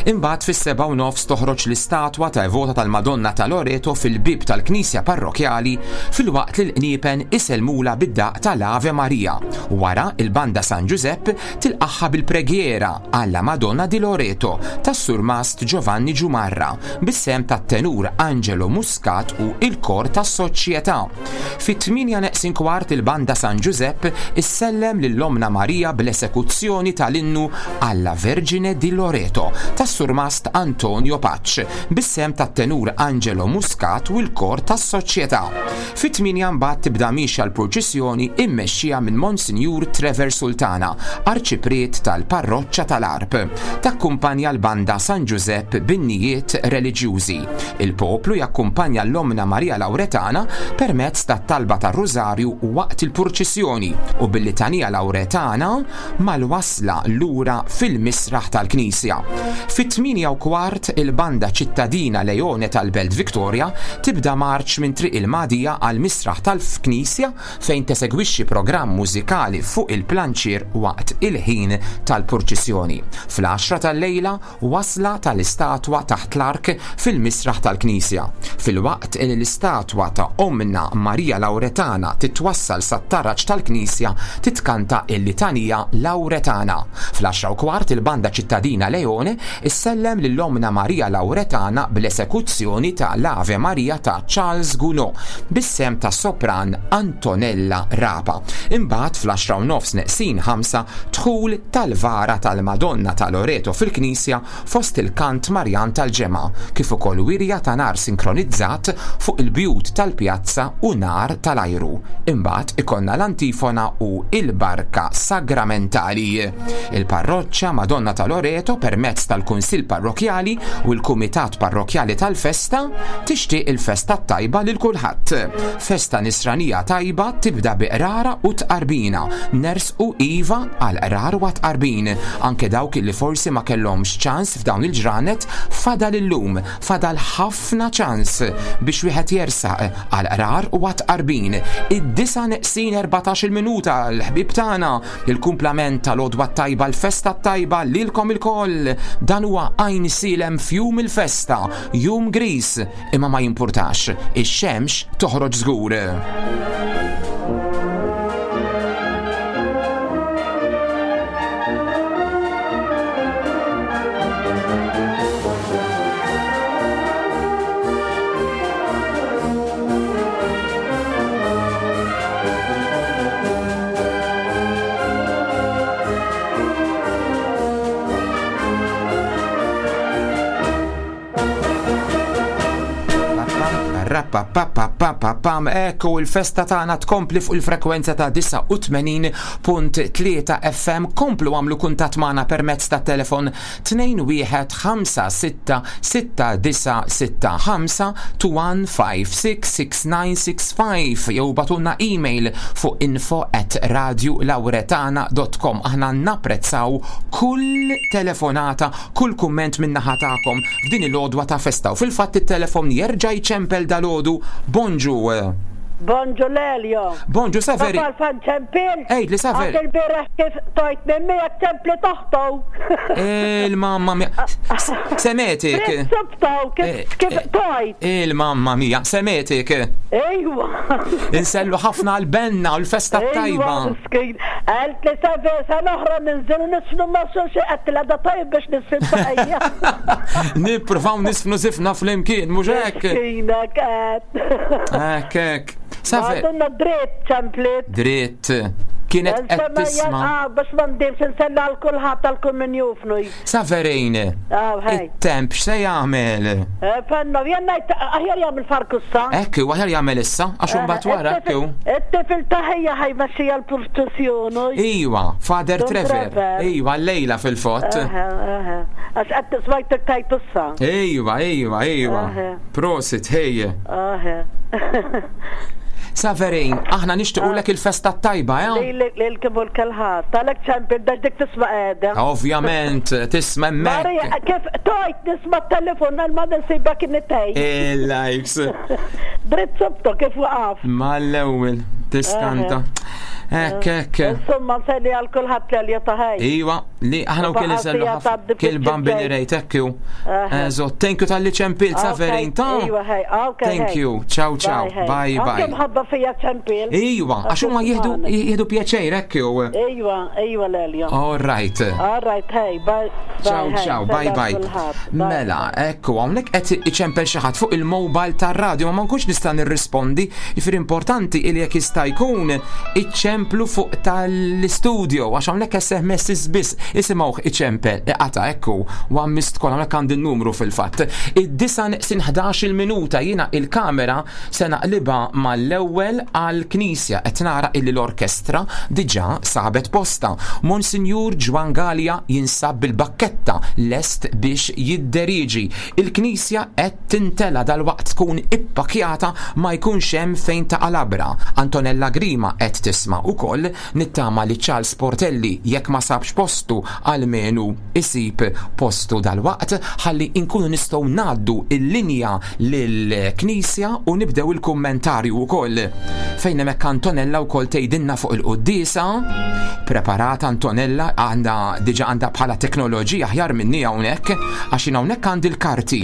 Imbagħad fis-7:30 toħroġ l-istatwa ta' evota tal-Madonna ta' Loreto fil-bieb tal-Knisja Parrokjali filwaqt li l-qniepen isellmulha bid-daqq tal-Ave Maria. Wara, il-Banda San Ġużepp tilqagħha bil-preghiera alla Madonna di Loreto tas-Surmast Giovanni Giumarra bis-sehem tat-tenur Angelo Muscat u il-kor tas-Soċjetà. Fit-8 neqsin kwart il-Banda San Ġużepp issellem lil Ommna Marija bl-esekuzzjoni tal-innu Alla Vergine di Loreto tas-Surmast Antonio Pace bis-sehem tat-tenur Angelo Muscat u l-kor tas-Soċjetà. Fit-8 mbagħad tibda miexja l-purċissjoni immexxija minn Monsinjur Trevor Sultana, Arċipriet tal-Parroċċa tal-Għarb. Takkumpanja l-Banda San Ġużepp b'innijiet reliġjużi. Il-poplu jakkumpanja l-Ommna Marija Lawretana permezz tat-talba tar-Rużarju waqt il-purċissjoni u bil-Litanija Lawretana mal-wasla lura fil-misraħ tal-knisja. Fit-8:15 il-Banda Ċittadina Leone tal-Belt Victoria tibda marċ minn Triq il-Magħdija għall-misraħ tal-knisja fejn tesegwixxi programm mużikali fuq il-planċier waqt il-ħin tal-purċissjoni. Fl-għaxra tal-lejla wasla tal-istatwa taħt l-ark fil-misraħ tal-knisja. Filwaqt li l-istatwa ta' Ommna Marija Lawretana titwassal sat-taraġ tal-knisja titkanta l-Litanija Lawretana. Fl-10:15 il-Banda Ċittadina Leone issellem lil Ommna Marija Lawretana bl-esekuzzjoni ta' l-Ave Maria ta' Charles Gounod bis-sehem tas-sopran Antonella Rapa. Imbagħad fl-10:30 neqsin ħamsa Dħul tal-vara tal-Madonna ta' Loreto fil-knisja fost il-kant Marjan tal-ġemgħa, kif ukoll wirja ta' nar sinkronizzat fuq il-bjut tal-pjazza u nar tal-ajru. Imbagħad ikollna l-antifona u l-barka sagramentali. Il-Parroċċa Madonna ta' Loreto permezz tal-Kunsill Parrokkjali u l-Kumitat Parrokkjali tal-Festa tixtieq il-festa t-tajba lil kulħadd. Festa nisranija tajba tibda bi qrara u tqarbina. Nersqu iva għal qrar u għat-tqarbin. Anke dawk li forsi ma kellhomx ċans f'dawn il-ġranet fadal illum, fadal ħafna ċans biex wieħed jersaq għal qrar u għat-tqarbin. Id-disa neqsin 14-il minuta l-ħbieb tagħna, il-kumplament tal-għodwa t-tajba, l-festa t-tajba lilkom ilkoll. Dan huwa Għajnsielem f'jum il-festa, jum griż. Imma ma jimpurtax, ix-xemx toħroġ żgur. Rapapapapapapam, ekku il-festa tagħna tkompli fuq il-frekwenza ta' 89.3 FM. Komplu għamlu kuntatt magħna permezz ta' telefon 21566965 21566965 jew batunna email fuq info at radiolauretana.com. Aħna napprezzaw kull telefonata kull kumment min-naħa tagħkom f'din il-għodwa ta' festa u fil-fatt it-telefon jerġa' jċempel dalgħodu. Bonġu. Bonġu Lelio. Bonġu Saveri. Taf għalfejn ċempil? Għidli Saveri. Għax il-bieraħ kif tojt minn miegħek ċempli toħtu. Il-mamma mia. Semetik. Subtaw kif eh, kif eh, tojt. Il-mamma mia, semetik. Ejwa. Insellu ħafna għal-benna u l-festa tajba. Miskin. Għalt li Saveri sena oħra ninżilu nisfnu ma' xulxin għedtilha da tajjeb biex nisfin baqajja. Nippruvaw nisfnu sifna flimkien, mhux hekk? Miskina kat. Hekk hekk. Safi. Għadunna dritt ċemplit. Dritt. Kienet qed tisma'. Ah, biex ma ndimx insella għal kulħadd għal kull min jufnu. Saverejn. Ah, It-temp x'se jagħmel? Eh, Fenno, jien ngħid aħjar jagħmel farkussa. Hekk hu, aħjar jagħmel issa, għax Eh, imbagħad wara hekk hu. It-tifel ta' ħija ħajmexxija l-purċissjoni. Iwa, Father Trevor. Iwa, llejla fil-fatt. Għax qed smajtek tajt issa. Iwa, iwa, iwa. Prosit, ħej. Saverin, aħna nixtiequlek il-festa t-tajba, eh? Lilek lilkom u l-kulħadd. Għalhekk ċempil dax dik tisma' qiegħda. Ovvjament, tisma' hemmhekk. Marija, kif tojt nisma' t-telefon għal ma nsiba kien itej. Il-likes. Dritt sobtu kif waqaf. Mal-ewwel, tiskanta. Hekk, hekk. Insomma, nselli għal kulħadd l ta' ħaj. Iwa, Li aħna wkoll insellu ħafna kil bambini rejt hekk hu. Eżo, thank you tal-li ċempilt Saverin ta' Thank you. Ciao ciao. Bye bye. Mħabba fija ċempil. Iwa, għax huma jieħdu jieħdu pjaċir hekk hu. Iwa, iwa Lelio. All right. All right, hey, bye. Ciao ciao, bye bye. Mela, ekku, hawnhekk qed iċempel xi ħadd fuq il-mobile tar-radio ma nkunx nista' nirrispondi, jifieri importanti li jekk jista' jkun iċċemplu fuq tal-istudio għax hawnhekk SMS biss isimgħuh iċempel iqata' ekku u missed call hawnhekk għandi n-numru fil-fatt. Id-disa neqsin 11-il minuta jiena il-kamera se naqlibha mal-ewwel għall-knisja qed nara illi l-orkestra diġà sabet postha. Monsinjur Ġwann Galea jinsab bil-bakketta lest biex jidderieġi. Il-knisja qed tintela' dalwaqt tkun ippakjata ma jkunx hemm fejn taqa' labra. Antonella Grima qed tisma' ukoll, nittama li Charles Portelli jekk ma sabx postu almenu isib postu dalwaqt ħalli nkunu nistgħu ngħaddu l-linja lill-knisja u nibdew il-kummentarju ukoll. Fejn hemmhekk Antonella wkoll tgħidilna fuq il-quddiesa. Preparata Antonella għandha diġà għandha bħala teknoloġija aħjar minni hawnhekk għax jien hawnhekk għandi l-karti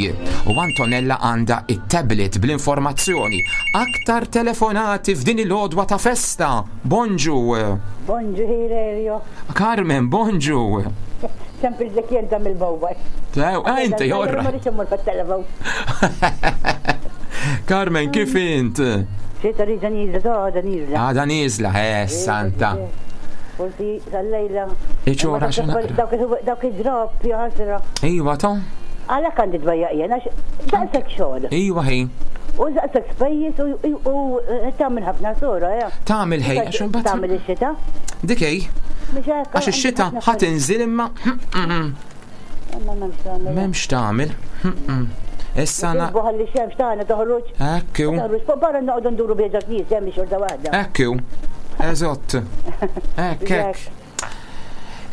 u Antonella għandha it-tablet bl-informazzjoni. Aktar telefonati f'din il-għodwa ta' festa. Bonġu. Bonġu Hilerio. Carmen, bonġu. Sempil dik jenta mill-mobile. Tew, ah, inti jorra. Ma rridx immur fit-telefon. Carmen, kif int? Xi rida nieżla, għada nieżla. Għada nieżla, eh, santa. Forsi tal-lejla. Iċora xena. Dawk id-drop, jaħasra. Iwa, ta' Għalhekk għandi dwejjaq jien għax daqshekk xogħol. Iwa ħi. U daqshekk spejjeż u tagħmel ħafna sura, ja. Tagħmel ħej, għax imbagħad. Tagħmel ix-xita. Dik hi. Għax ix-xita ħa tinżil imma. M'hemmx tagħmel. Issa na. Ħalli xemx tagħna toħroġ. Ekku. Toħroġ fuq barra noqogħdu nduru bieġa knisja hemm xorta waħda. Ekku. Eżott. Ekk hekk.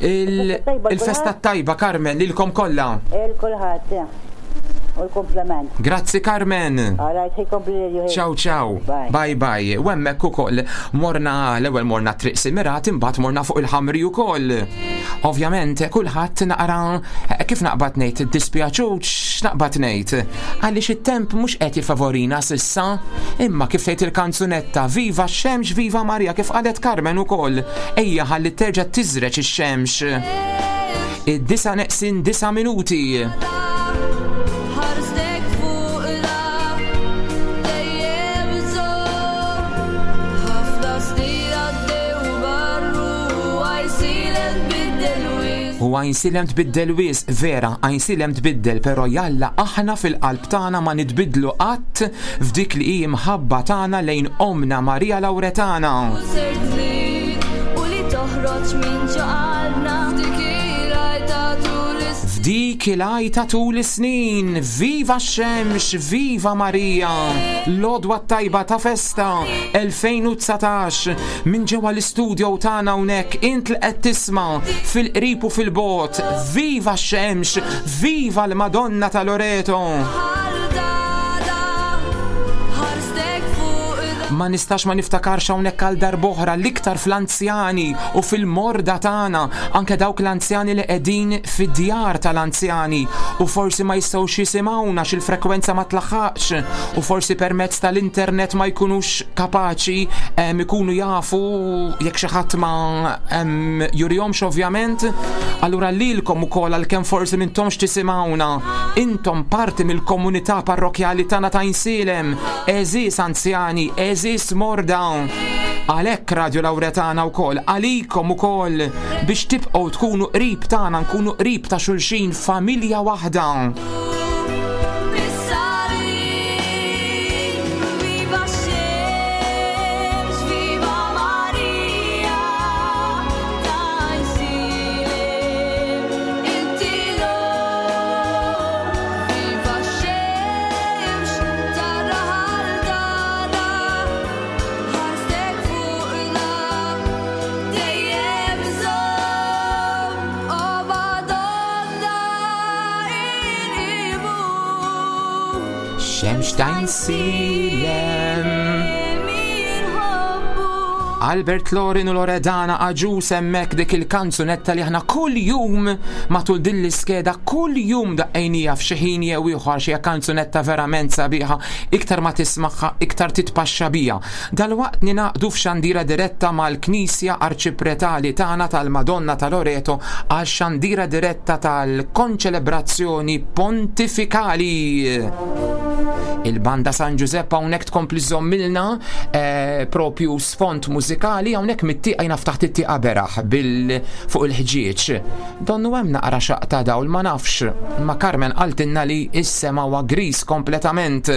Il-festa tajba Carmen lilkom kollha. Il kulħadd. U l-komplement. Grazzi Carmen. Ciao ciao. Bye bye. U hemmhekk ukoll morna l-ewwel morna triq Simirat imbagħad morna fuq il-ħamri ukoll. Ovvjament kulħadd naqra kif naqbad ngħid dispjaċut x'naqbad ngħid. Għaliex it-temp mhux qed jifavorina sissa, imma kif tgħid il-kanzunetta Viva x-xemx, viva Marija kif qalet Carmen ukoll. Ejja ħalli terġa' tiżreġ ix-xemx. Id-disa neqsin disa minuti. U Għajnsielem tbiddel wisq, vera, Għajnsielem tbiddel, però jalla aħna fil-qalb tagħna ma nitbiddlu qatt f'dik li hi mħabba tagħna lejn Ommna Marija Lawretana. F'dik il-għajta tul is-snin, viva x-xemx, viva Marija, l-għodwa t-tajba ta' festa 2019 minn ġewwa l-istudio tagħna hawnhekk int li qed tisma' fil-qrib u fil-bogħod, viva x-xemx, viva l-Madonna ta' Loreto! Ma nistax ma niftakarx hawnhekk għal darb'oħra l-iktar fl-anzjani u fil-morda tagħna, anke dawk l-anzjani li qegħdin fid-djar tal-anzjani u forsi ma jistgħux jisimgħuna għax il-frekwenza ma tlaħħaqx u forsi permezz tal-internet ma jkunux kapaċi ikunu jafu jekk xi ħadd ma jurihomx ovvjament. Allura lilkom ukoll għalkemm forsi m'intomx tisimgħuna, intom parti mill-komunità parrokjali tagħna ta' Insielem, għeżież anzjani, għeżież morda. Għalhekk Radio Lauretana wkoll, għalikom ukoll biex tibqgħu tkunu qrib tagħna, nkunu qrib ta' xulxin, familja waħda. Xemx t'Għajnsielem. Albert Lorin u Loredana Agius hemmhekk dik il-kanzunetta li aħna kull jum matul din l-iskeda kull jum daqqejnija f'xi ħin jew ieħor xi kanzunetta verament sabiħa iktar ma tismagħha iktar titpaxxa biha. Dalwaqt ningħaqdu f'xandira diretta mal-Knisja Arċipretali tagħna tal-Madonna ta' Loreto għal xandira diretta tal-konċelebrazzjoni pontifikali. Il-Banda San Ġużepp hawnhekk tkompli żommilna eh, propju sfond mużikali hawnhekk mit-tieqa jiena ftaħt it-tieqa beraħ bil fuq il-ħġieġ. Donnu hemm naqra xaq ta' dawl ma nafx, ma Carmen qaltilna li s-sema huwa gris kompletament.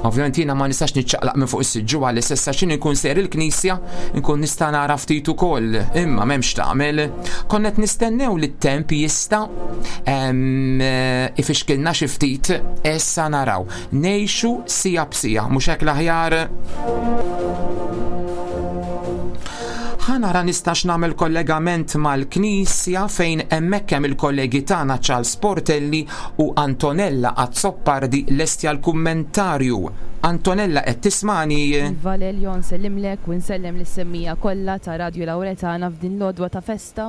Ovvjament jiena ma nistax niċċaqlaq minn fuq is-siġġu għal issa x'inhi nkun sejr il-knisja nkun nista' nara ftit ukoll, imma m'hemmx tagħmel. Konna qed nistennew li t-temp jista' ifixkilna xi ftit, issa naraw. Ngħixu sija b'sija, mhux hekk l-aħjar? Ħa nara nistax nagħmel kollegament mal-knisja fejn hemmhekk hemm il-kollegi tagħna Charles Portelli u Antonella Azzopardi lesti għall-kummentarju. Antonella qed tismagħni? Iva Lelio nsellimlek u nsellem lis-semmiegħa kollha ta' Radju Lauretana f'din l-għodwa ta' festa.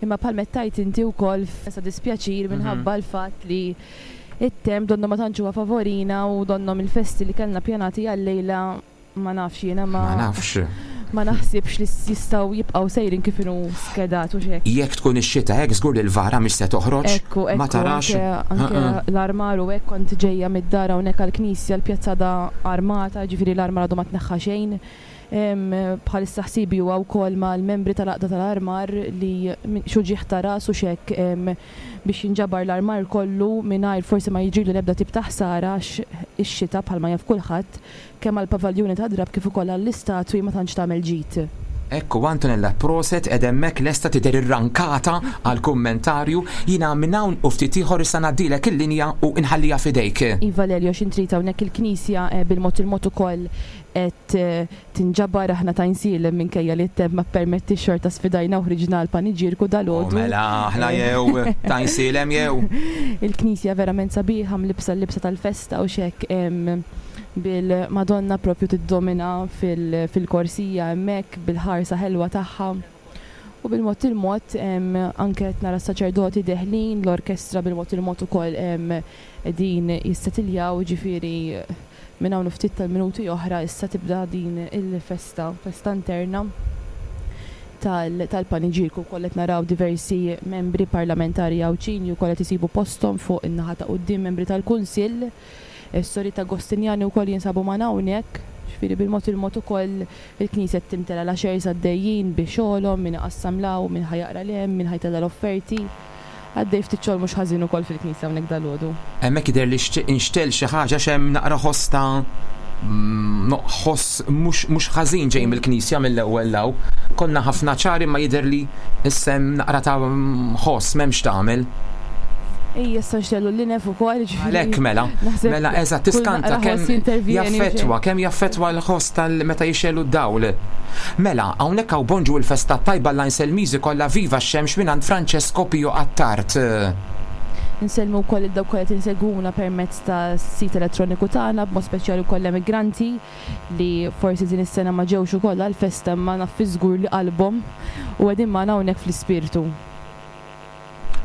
Imma bħalma qed tgħid inti wkoll f'ta' dispjaċir minħabba l-fatt li t-temp donnu ma tantx huwa favorina u donnhom il-festi li kellna ppjanati għal-lejla Ma nafx jiena ma. Ma nafx. Ma naħsibx li jistgħu jibqgħu sejrin kif inhu skedat hux hekk. Jekk tkun ix-xita hekk żgur li l-vara mhix se toħroġ. Ekku, ekku. Ma tarax. Anke l-armar u hekk kont ġejja mid-dar hawnhekk għall-knisja l-pjazza għadha armata, jiġifieri l-armar għadu ma tneħħa xejn. Bħalissa ħsiebi huwa wkoll mal-membri tal-għaqda tal-armar li x'uġigħ ta' ras hux hekk biex jinġabar l-armar kollu mingħajr forsi ma jiġrilu l-ebda tip ta' ħsara għax ix-xita bħalma jaf kulħadd Kemm għall-pavaljuni tad-drapp kif ukoll għall-istatwi ma tantx tagħmel ġid. Ekku Antonella proset qed hemmhekk lesta tidher irrankata għall-kummentarju. Jiena minn hawn u ftit ieħor issa ngħaddilek il-linja u nħalliha f'idejk. Iva Lelio x'int trid hawnhekk il-knisja bil-mod il-mod ukoll qed tinġabar aħna ta' Għajnsielem minkejja li t-temp ma ppermettiex xorta sfidajna u ħriġna għall-paniġierku dalgħodu. U mela aħna jew ta' Għajnsielem jew. Il-knisja verament sabiħa mlibbsa l-libsa tal-festa u x'hekk. Bil-Madonna propju tiddomina fil-korsija hemmhekk bil-ħarsa ħelwa tagħha. U bil-mod il-mod anke qed nara s-saċerdoti deħlin, l-orkestra bil-mod il-mod ukoll qegħdin jissetiljaw, jiġifieri minn hawn u ftit tal-minuti oħra issa tibda din il-festa, festa interna tal-paniġierku. Wkoll qed naraw diversi membri parlamentari Għawdxin li wkoll qed isibu posthom fuq in-naħa ta' quddiem, membri tal-Kunsill. Is-sorijiet Agostinjani wkoll jinsabu magħna hawnhekk, ġifieri bil-mod il-mod ukoll il-knisja qed timtela l-ushers għaddejjin bi xogħolhom, min iqassam 'l hawn, min ħa jaqra 'l hemm, min ħa jtella' l-offerti. Għaddej ftit xogħol mhux ħażin ukoll fil-knisja hawnhekk dalgħodu. Hemmhekk jidher li inxtegħel xi ħaġa għax hemm naqra ħoss ta' ħoss mhux mhux ħażin ġej mill-knisja mill-ewwel 'l hawn. Konna ħafna ċar imma jidher li issa hemm naqra ta' ħoss m'hemmx x'tagħmel. Ejja issa nxtellu l-linef ukoll, jiġifieri. Għalhekk mela. Mela eżatt tiskanta kemm jaffettwa, kemm jaffettwa l-ħoss tal meta jixegħlu d-dawl. Mela, hawnhekk hawn bonġu il-festa t-tajba l-Għajnselmiżi kollha viva x-xemx mingħand Francesco Pio Attard. Insellmu wkoll lil dawk kollha qed insegwuna permezz tas-sit elettroniku tagħna, b'mod speċjali wkoll l-emigranti li forsi din is-sena ma ġewx ukoll għall-festa imma naf fi żgur li qalbhom u qegħdin magħna hawnhekk fl-ispirtu.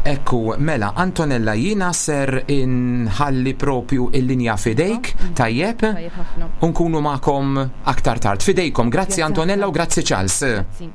Ekku, mela, Antonella, jiena ser inħalli propju il-linja f'idejk, tajjeb? Tajjeb ħafna. U nkunu magħkom aktar tard. F'idejkom, grazzi Antonella u grazzi Charles. Grazzi.